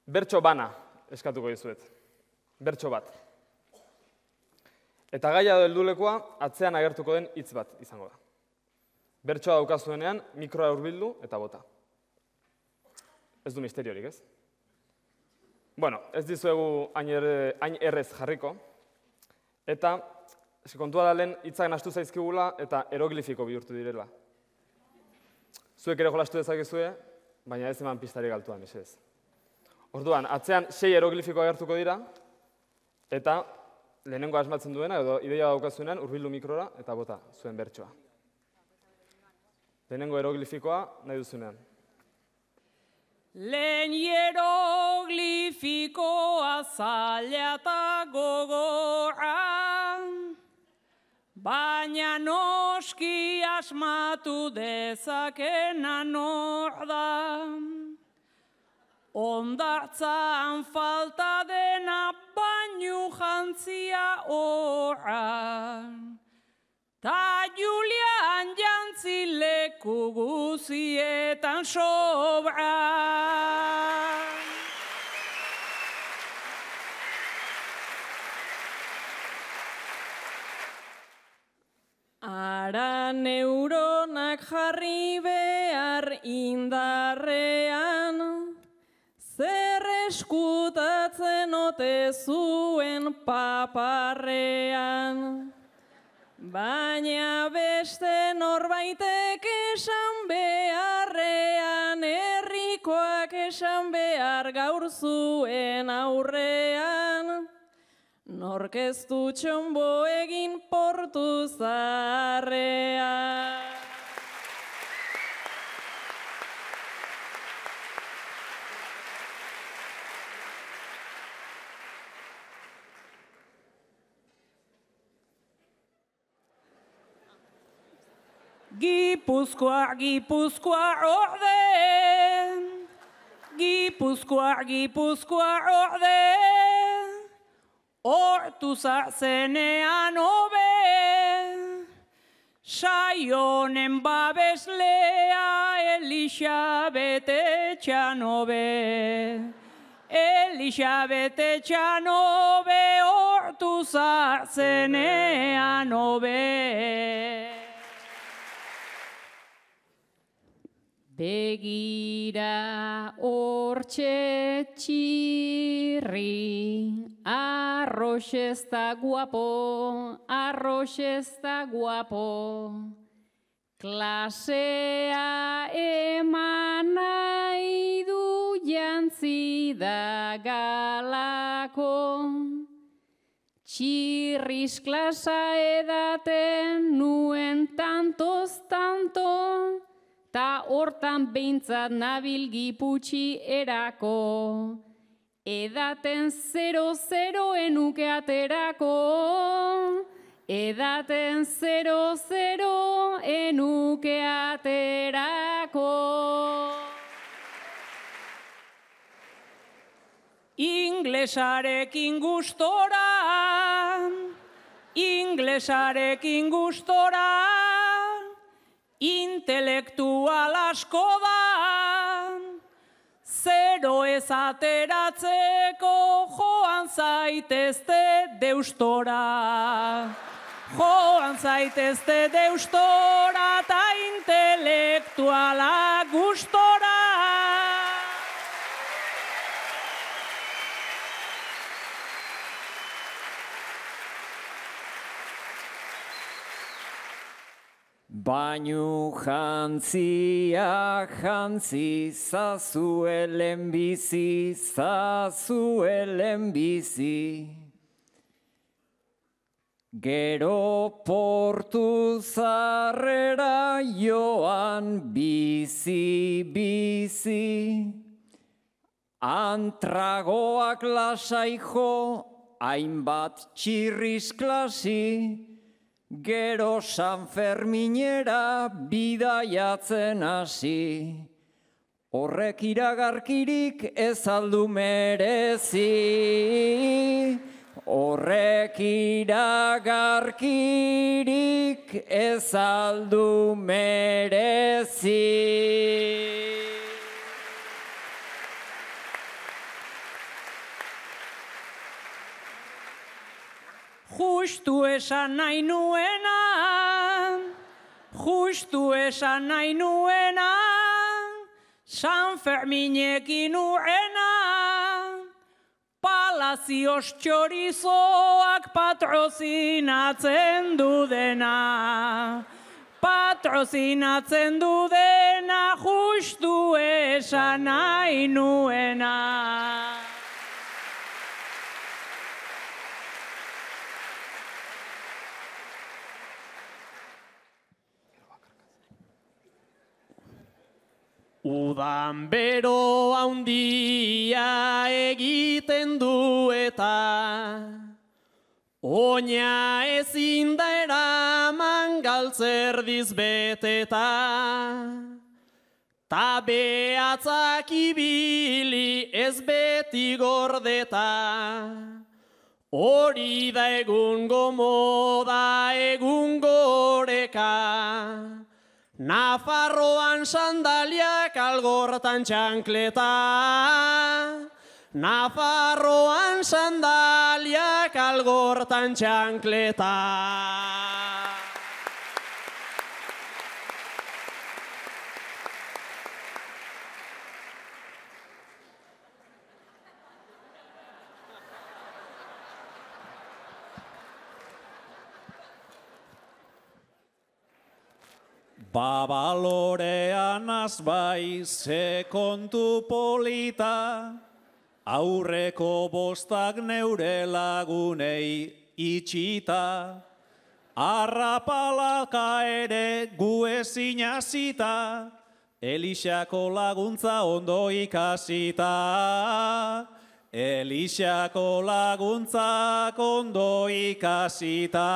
Bertso bana eskatuko dizuet. Bertso bat. Eta gaia edo heldulekoa atzean agertuko den hitz bat izango da. Bertsoa daukazuenean mikroa hurbildu eta bota. Ez du misteriorik, ez? Bueno, ez dizuegu hain errez jarriko. Eta kontua da lehen hitzak nahastu zaizkigula eta eroglifiko bihurtu direla. Zuek ere jolastu dezakezue, baina ez eman pistarik altuan, mesedez. Orduan, atzean 6 eroglifiko agertuko dira, eta lehenengo asmatzen duena, edo ideia daukazuenean, hurbildu mikrora eta bota zuen bertsoa. Lehenengo eroglifikoa nahi duzunean. Lehen hieroglifikoa zaila eta gogorra, baina noski asmatu dezakena nor da. Hondartzan falta dena bainu jantzia horra, ta Julian jantzi leku guzietan sobra. Ara neuronak jarri behar indarrean, zer eskutatzen ote zuen paparrean. Baina beste norbaitek esan beharrean, herrikoak esan behar gaur zuen aurrean, nork ez du txonbo egin portu zaharrean. Gipuzkoa, Gipuzkoa orde, Gipuzkoa, Gipuzkoa orde, hortu zenean hobe, saionen babeslea Elisabet Etxanobe. Elisabet Etxanobe hortu zenean hobe. Begira hortxe txirri, arroz ez da guapo, arroz ez da guapo. Klasea eman nahi du jantzi da galako. Txirriz klasa edaten nuen tantoz tanto, ta hortan behintzat nabil Giputxi erako. Edaten 0-0 enuke aterako. Edaten 0-0 enuke aterako. Inglesarekin gustora, inglesarekin gustora, intelektual asko da, 0 ez ateratzeko joan zaitezte deustora. Joan zaitezte deustora eta intelektuala gustora. Bainu jantzia jantzi zazuelen bizi, zazuelen bizi. Gero portu zarrera joan bizi, bizi. Antragoak lasai jo, hainbat txirriz klasi. Gero San Ferminera bidaiatzen hasi, horrek iragarkirik ez aldu merezi. Horrek iragarkirik ez aldu merezi. justu esan nahi nuena, justu esan nahi nuena, San Ferminekin urrena, Palazios txorizoak patrozinatzen du dena. Patrozinatzen du dena, justu esan nahi nuena. Udan bero handia egiten du eta oina ezin da eraman galtzerdiz beteta. Ta behatzak ibili ez beti gordeta. Hori da egungo moda, egungo oreka. Nafarroan sandaliak algortan txankleta. Nafarroan sandaliak algortan txankleta. Babalorean azbai ze kontu polita, aurreko bostak neure lagunei itxita, arrapalaka ere gu ezin hasita, Elixako laguntza ondo ikasita, Elixako laguntzak ondo ikasita.